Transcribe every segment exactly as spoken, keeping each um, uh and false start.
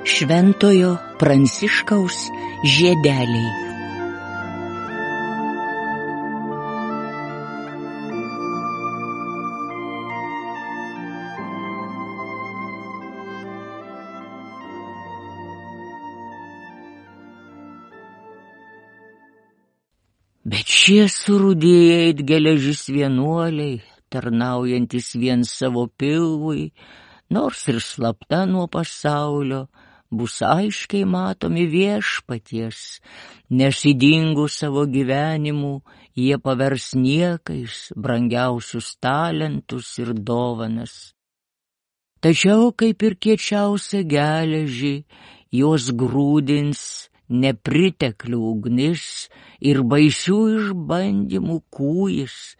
Šventojo Pranciškaus žiedeliai. Bet šie surūdėję it geležis vienuoliai, tarnaujantis vien savo pilvui, nors ir slapta nuo pasaulio, bus aiškiai matomi viešpaties, nes įdingus savo gyvenimu jie pavers niekais brangiausius talentus ir dovanas. Tačiau, kaip ir kiečiausia geležį, jos grūdins nepriteklių ugnis ir baisių išbandymų kūjis,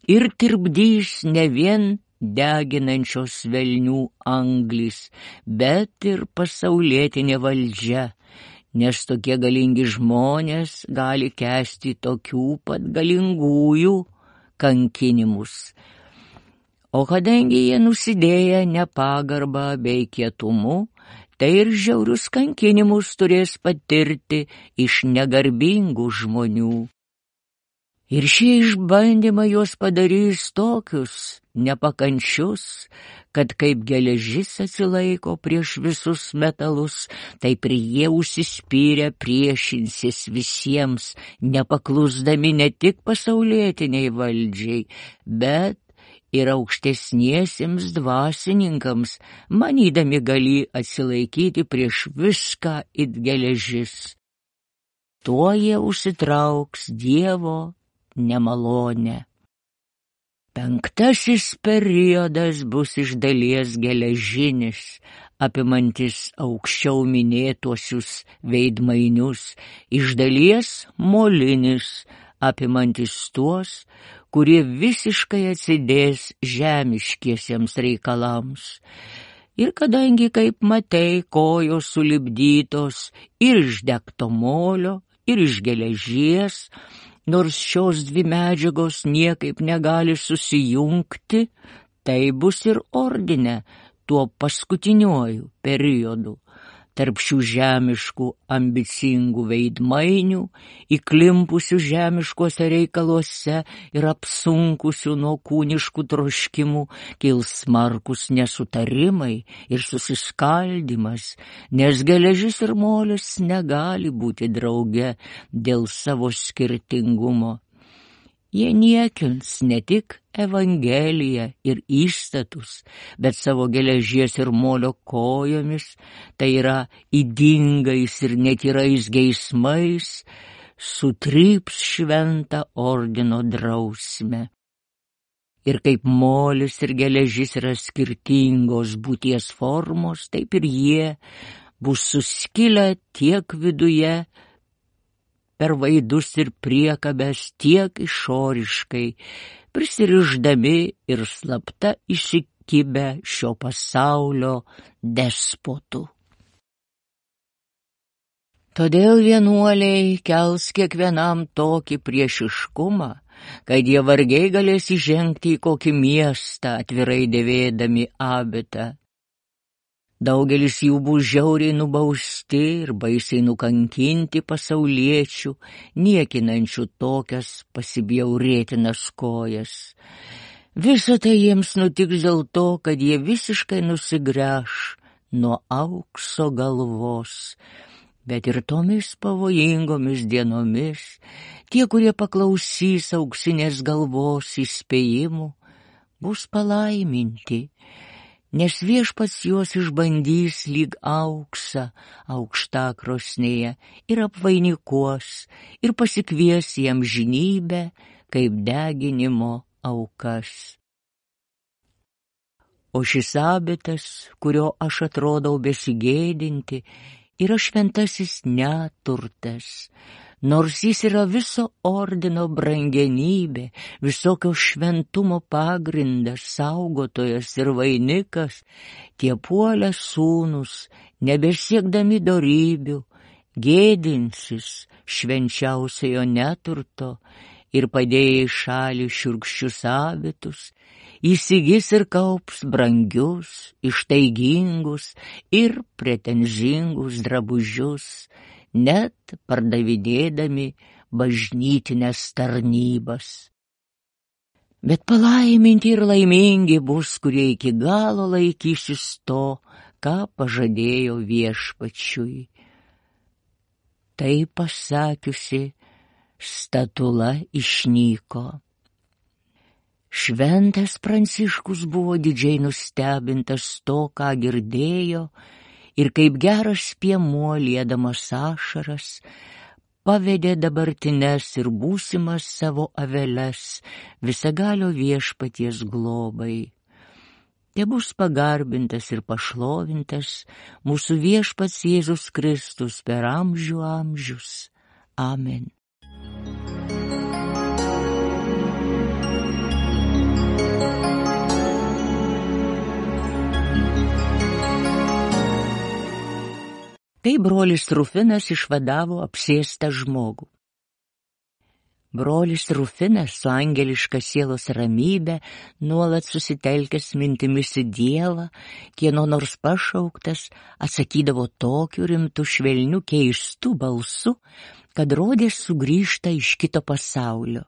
ir tirpdys ne vien deginančios velnių anglis, bet ir pasaulietinė valdžia, nes tokie galingi žmonės gali kęsti tokių pat galingųjų kankinimus. O kadangi jie nusidėję nepagarbą bei kietumu, tai ir žiaurius kankinimus turės patirti iš negarbingų žmonių. Ir šie išbandymai juos padarys tokius nepakančius, kad kaip geležis atsilaiko prieš visus metalus, taip ir jie užsispyrę priešinsis visiems, nepaklusdami ne tik pasaulietiniai valdžiai, bet ir aukštesniesiems dvasininkams, manydami galį atsilaikyti prieš viską it geležis. Tuo jie užsitrauks Dievo nemalonę. Penktasis periodas bus iš dalies geležinis, apimantis aukščiau minėtuosius veidmainius, iš dalies molinis, apimantis tuos, kurie visiškai atsidės žemiškiesiems reikalams. Ir kadangi, kaip matei, kojos sulipdytos ir iš degto molio, ir iš geležies, nors šios dvi medžiagos niekaip negali susijungti, tai bus ir ordine tuo paskutiniuoju periodu. Tarp šių žemiškų ambicingų veidmainių, įklimpusių žemiškuose reikaluose ir apsunkusių nuo kūniškų troškimų, kils smarkus nesutarimai ir susiskaldymas, nes geležis ir molis negali būti drauge dėl savo skirtingumo. Jie niekins ne tik Evangeliją ir įstatus, bet savo geležies ir molio kojomis, tai yra ydingais ir netyrais geismais, sutryps šventą ordino drausmę. Ir kaip molis ir geležis yra skirtingos būties formos, taip ir jie bus suskilę tiek viduje, per vaidus ir priekabes, tiek išoriškai, prisirišdami ir slapta įsikibę šio pasaulio despotų. Todėl vienuoliai kels kiekvienam tokį priešiškumą, kad jie vargiai galės įžengti į kokį miestą, atvirai dėvėdami abitą. Daugelis jų bus žiauriai nubausti ir baisiai nukankinti pasauliečių, niekinančių tokias pasibjaurėtinas kojas. Visa tai jiems nutiks dėl to, kad jie visiškai nusigręš nuo aukso galvos. Bet ir tomis pavojingomis dienomis tie, kurie paklausys auksinės galvos įspėjimų, bus palaiminti, nes viešpats juos išbandys lyg auksą aukštakrosnėje ir apvainikuos ir pasikvies jam žinybę kaip deginimo aukas. O šis abitas, kurio aš atrodau besigėdinti, yra šventasis neturtas, nors jis yra viso ordino brangenybė, visokio šventumo pagrindas, saugotojas ir vainikas, tie puolę sūnus, nebesiekdami dorybių, gėdinsis švenčiausiojo neturto ir padėję į šalį šiurkščius abitus, įsigys ir kaups brangius, ištaigingus ir pretenzingus drabužius, net pardavinėdami bažnytinės tarnybas. Bet palaiminti ir laimingi bus, kurie iki galo laikysis to, ką pažadėjo viešpačiui. Tai pasakiusi, statula išnyko. Šventas Pranciškus buvo didžiai nustebintas to, ką girdėjo, ir kaip geras piemuo liedamas ašaras, pavedė dabartines ir būsimas savo aveles visagalio viešpaties globai. Te bus pagarbintas ir pašlovintas mūsų viešpats Jėzus Kristus per amžių amžius. Amen. Tai brolis Rufinas išvadavo apsėstą žmogų. Brolis Rufinas su angeliška sielos ramybė, nuolat susitelkęs mintimis į Dievą, kieno nors pašauktas, atsakydavo tokiu rimtu švelniu keistu balsu, kad rodės sugrįžta iš kito pasaulio.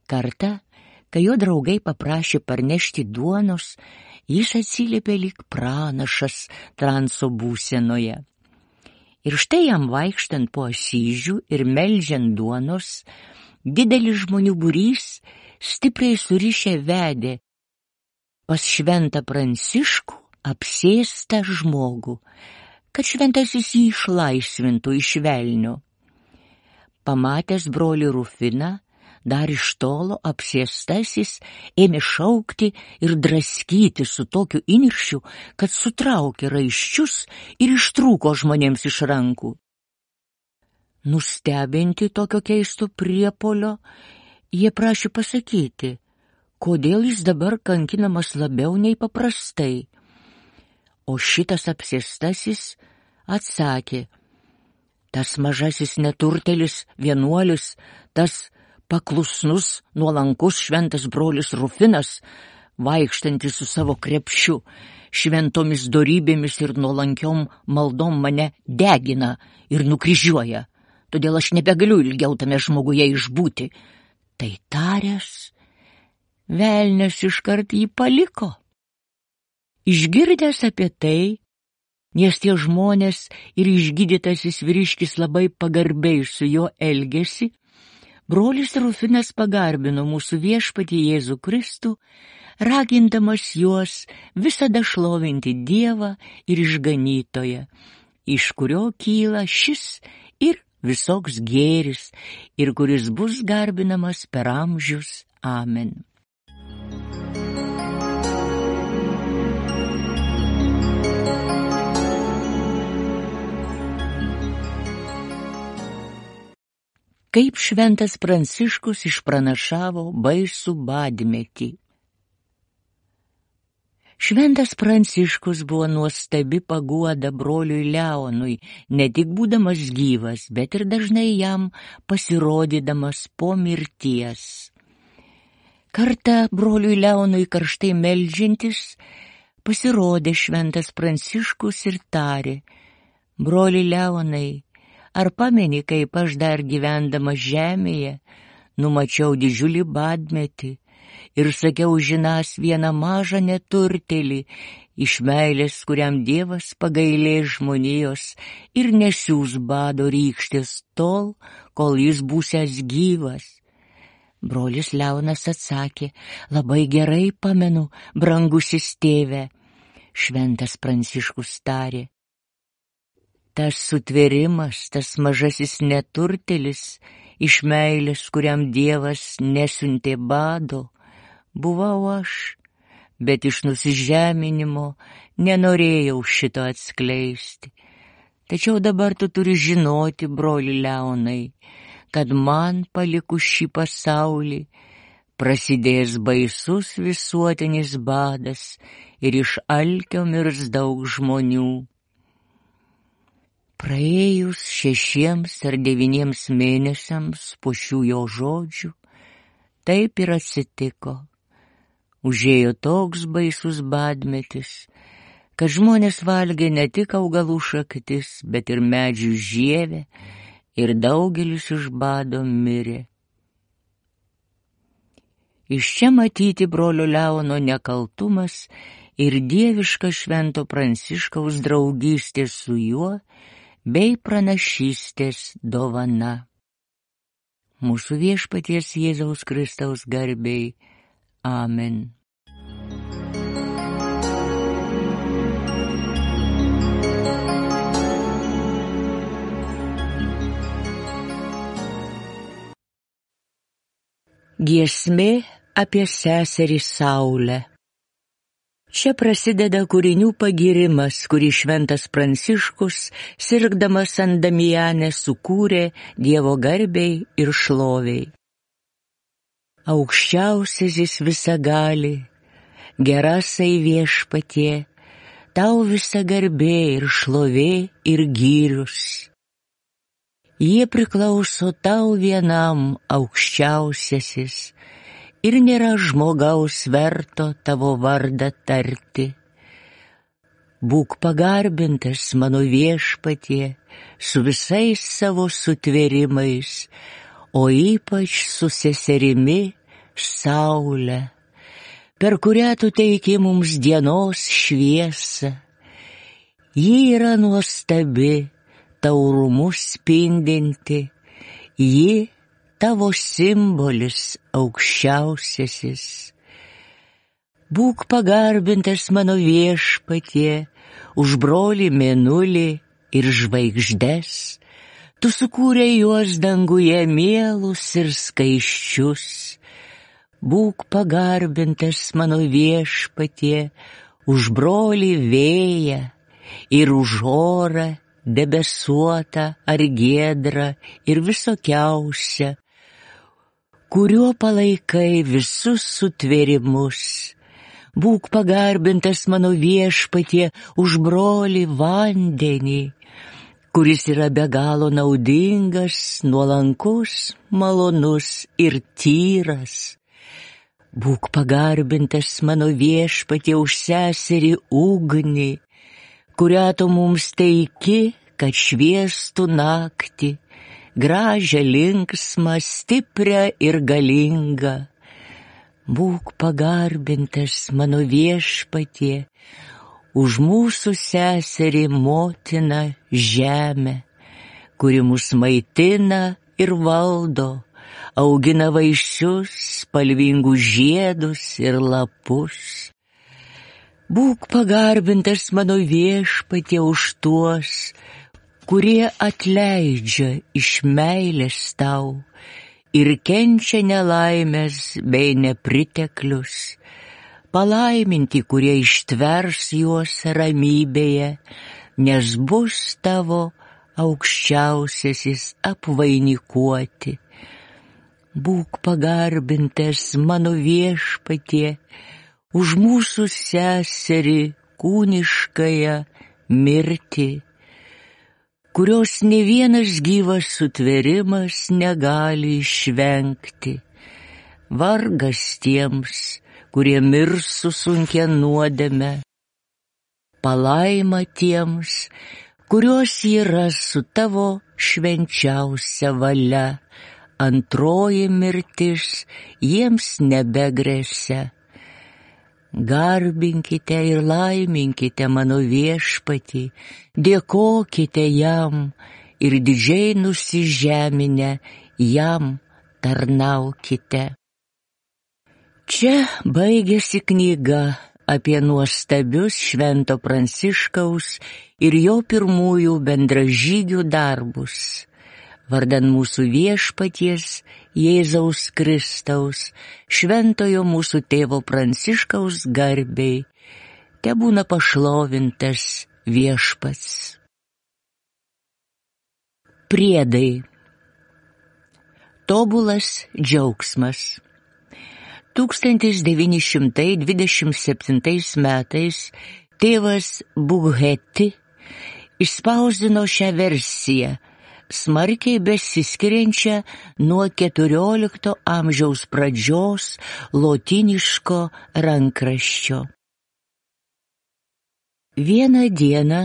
Kartą, kai jo draugai paprašė parnešti duonos, jis atsiliepė lyg pranašas transo būsenoje. Ir štai jam vaikštant po Asyžių ir meldžiant duonos, didelis žmonių būrys stipriai surišę vedė pas šventą Pranciškų apsėstą žmogų, kad šventasis jį išlaisvintų iš velnio. Pamatęs brolį Rufiną, dar iš tolo apsėstasis ėmė šaukti ir draskyti su tokiu įniršiu, kad sutraukė raiščius ir ištrūko žmonėms iš rankų. Nustebinti tokio keisto priepolio, jie prašė pasakyti, kodėl jis dabar kankinamas labiau nei paprastai. O šitas apsėstasis atsakė, tas mažasis neturtelis, vienuolis, tas paklusnus, nuolankus šventas brolis Rufinas, vaikštantis su savo krepšiu, šventomis dorybėmis ir nuolankiom maldom mane degina ir nukryžiuoja, todėl aš nebegaliu ilgiau tame žmoguje išbūti. Tai taręs, velnias iškart jį paliko. Išgirdęs apie tai, nes tie žmonės ir išgydytasis vyriškis labai pagarbiai su juo elgėsi, brolis Rufinas pagarbino mūsų viešpatį Jėzų Kristų, ragindamas juos visada šlovinti Dievą ir išganytoją, iš kurio kyla šis ir visoks gėris, ir kuris bus garbinamas per amžius. Amen. Kaip šventas Pranciškus išpranašavo baisų badmetį. Šventas Pranciškus buvo nuostabi paguoda broliui Leonui, ne tik būdamas gyvas, bet ir dažnai jam pasirodydamas po mirties. Kartą broliui Leonui karštai meldžiantis, pasirodė šventas Pranciškus ir tarė, broli Leonai, ar pameni, kaip aš dar gyvendamas žemėje, numačiau didžiulį badmetį ir sakiau žinas vieną mažą neturtelį, iš meilės, kuriam Dievas pagailės žmonijos ir nesiūs bado rykštės tol, kol jis būsiąs gyvas. Brolis Leonas atsakė, labai gerai pamenu, brangusis tėve. Šventas Pranciškus tarė, tas sutvėrimas, tas mažasis neturtelis, iš meilės, kuriam Dievas nesiuntė bado, buvau aš, bet iš nusižeminimo nenorėjau šito atskleisti. Tačiau dabar tu turi žinoti, broli Leonai, kad man palikus šį pasaulį prasidės baisus visuotinis badas ir iš alkio mirs daug žmonių. Praėjus šešiems ar devyniems mėnesiams po šių jo žodžių, Taip ir atsitiko. Užėjo toks baisus badmetis, kad žmonės valgė ne tik augalų šaktis, bet ir medžių žievę, ir daugelis iš bado mirė. Iš čia matyti brolio Leono nekaltumas ir dieviška švento Pranciškaus draugystė su juo bei pranašystės dovana. Mūsų Viešpaties Jėzaus Kristaus garbei. Amen. Giesmė apie seserį Saulę. Čia prasideda kūrinių pagyrimas, kurį šventas Pranciškus, sirgdamas ant Damianę, sukūrė Dievo garbei ir šloviai. Aukščiausiasis visagali, gerasai Viešpatie, tau visa garbė ir šlovė ir gyrius. Jie priklauso tau vienam, aukščiausiasis, ir nėra žmogaus verto tavo vardą tarti. Būk pagarbintas, mano Viešpatie, su visais savo sutvėrimais, o ypač su seserimi Saule, per kurią tu teiki mums dienos šviesą. Ji yra nuostabi, taurumu spindinti, ji tavo simbolis aukščiausiasis. Būk pagarbintas, mano Viešpatie, už brolį Mėnulį ir žvaigždes, tu sukūrei juos danguje mielus ir skaisčius. Būk pagarbintas, mano Viešpatie, už brolį Vėją ir už orą, debesuotą ar giedrą ir visokiausią, kuriuo palaikai visus sutvėrimus. Būk pagarbintas, mano Viešpatie, už brolį Vandenį, kuris yra be galo naudingas, nuolankus, malonus ir tyras. Būk pagarbintas, mano Viešpatie, už seserį Ugnį, kurią tu mums teiki, kad šviestų naktį, gražią, linksmą, stiprią ir galingą. Būk pagarbintas, mano Viešpatie, už mūsų seserį motiną Žemę, kuri mus maitina ir valdo, augina vaisius, spalvingus žiedus ir lapus. Būk pagarbintas, mano Viešpatie, už tuos, kurie atleidžia iš meilės tau ir kenčia nelaimės bei nepriteklius. Palaiminti, kurie ištvers juos ramybėje, nes bus tavo aukščiausiasis apvainikuoti. Būk pagarbintas, mano Viešpatie, už mūsų seserį kūniškąją mirtį, kurios ne vienas gyvas sutvėrimas negali išvengti. Vargas tiems, kurie mirs su sunkia nuodėme. Palaima tiems, kurios yra su tavo švenčiausia valia. Antroji mirtis jiems nebegresia. Garbinkite ir laiminkite mano Viešpatį, dėkokite jam ir didžiai nusižeminę jam tarnaukite. Čia baigėsi knyga apie nuostabius švento Pranciškaus ir jo pirmųjų bendražygių darbus. Vardan mūsų Viešpaties Jėzaus Kristaus, šventojo mūsų tėvo Pranciškaus garbei, tebūna pašlovintas Viešpats. Priedai. Tobulas džiaugsmas. tūkstantis devyni šimtai dvidešimt septintais metais tėvas Bughetti išspausdino šią versiją, smarkiai besiskiriančią nuo keturiolikto amžiaus pradžios lotyniško rankraščio. Vieną dieną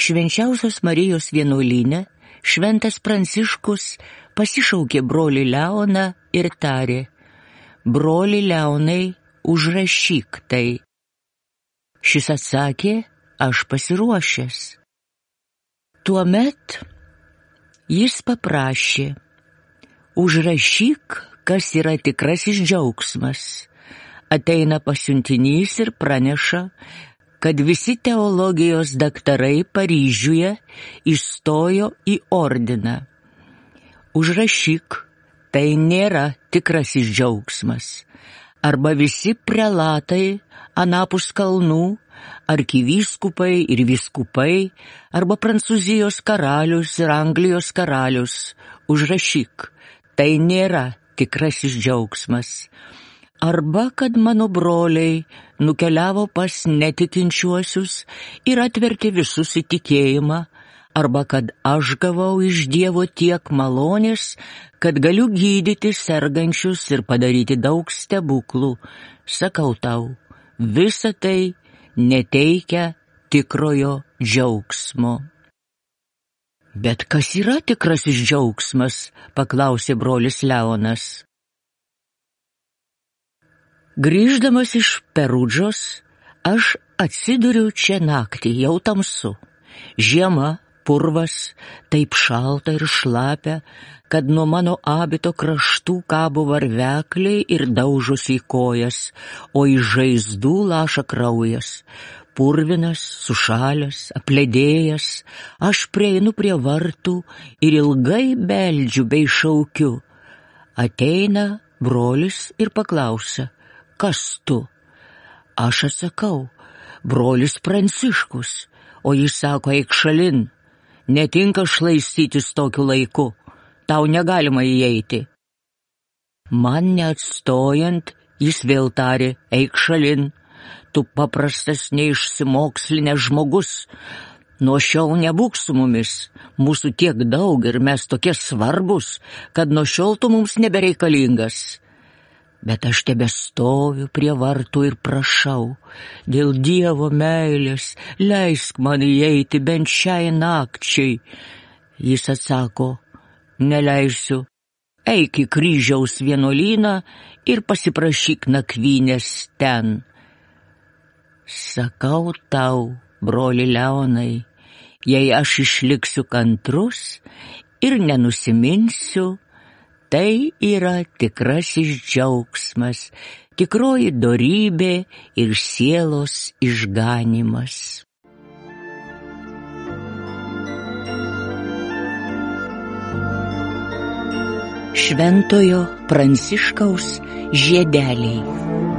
Švenčiausios Marijos vienuolyne šventas Pranciškus pasišaukė brolį Leoną ir tarė: broli Leonai, užrašyk tai. Šis atsakė: aš pasiruošęs. Tuomet jis paprašė: užrašyk, kas yra tikrasis džiaugsmas. Ateina pasiuntinys ir praneša, kad visi teologijos daktarai Paryžiuje įstojo į ordiną. Užrašyk, tai nėra tikrasis džiaugsmas. Arba visi prelatai anapus kalnų, arkivyskupai ir vyskupai, arba Prancūzijos karalius ir Anglijos karalius. Užrašyk, tai nėra tikrasis džiaugsmas. Arba kad mano broliai nukeliavo pas netikinčiuosius ir atvertė visus į tikėjimą, arba kad aš gavau iš Dievo tiek malonės, kad galiu gydyti sergančius ir padaryti daug stebuklų. Sakau tau, visa tai neteikia tikrojo džiaugsmo. Bet kas yra tikrasis džiaugsmas? Paklausė brolis Leonas. Grįždamas iš Perudžos, aš atsiduriu čia naktį, jau tamsu. Žiema, purvas, taip šalta ir šlapia, kad nuo mano abito kraštų kabo varvekliai ir daužosi į kojas, o iš žaizdų laša kraujas. Purvinas, sušalęs, apledėjęs, aš prieinu prie vartų ir ilgai beldžiu bei šaukiu. Ateina brolis ir paklausia: kas tu? Aš atsakau: brolis Pranciškus. O jis sako: eik šalin, netinka šlaistytis tokiu laiku, tau negalima įeiti. Man neatstojant, jis vėl tarė: eik šalin, tu paprastas neišsimokslinęs žmogus, nuo šiol nebūk su mumis, mūsų tiek daug ir mes tokie svarbus, kad nuo šiol tu mums nebereikalingas. Bet aš tebestoviu prie vartų ir prašau: dėl Dievo meilės leisk man įeiti bent šiai nakčiai. Jis atsako: neleisiu, eik į Kryžiaus vienuolyną ir pasiprašyk nakvynės ten. Sakau tau, broli Leonai, jei aš išliksiu kantrus ir nenusiminsiu, tai yra tikrasis džiaugsmas, tikroji dorybė ir sielos išganymas. Šventojo Pranciškaus žiedeliai.